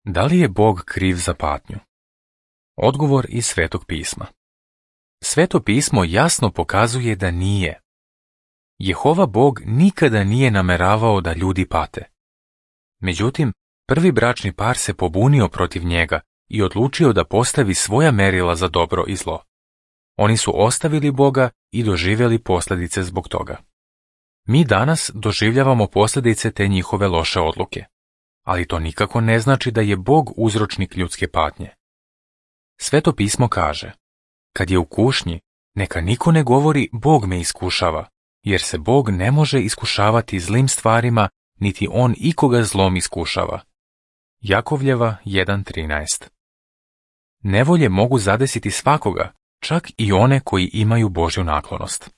Da li je Bog kriv za patnju? Odgovor iz Svetog pisma. Sveto pismo jasno pokazuje da nije. Jehova Bog nikada nije nameravao da ljudi pate. Međutim, prvi bračni par se pobunio protiv njega i odlučio da postavi svoja merila za dobro i zlo. Oni su ostavili Boga i doživjeli posljedice zbog toga. Mi danas doživljavamo posljedice te njihove loše odluke, ali to nikako ne znači da je Bog uzročnik ljudske patnje. Sveto pismo kaže: kad je u kušnji, neka niko ne govori Bog me iskušava, jer se Bog ne može iskušavati zlim stvarima, niti on ikoga zlom iskušava. Jakovljeva 1.13. Nevolje mogu zadesiti svakoga, čak i one koji imaju Božju naklonost.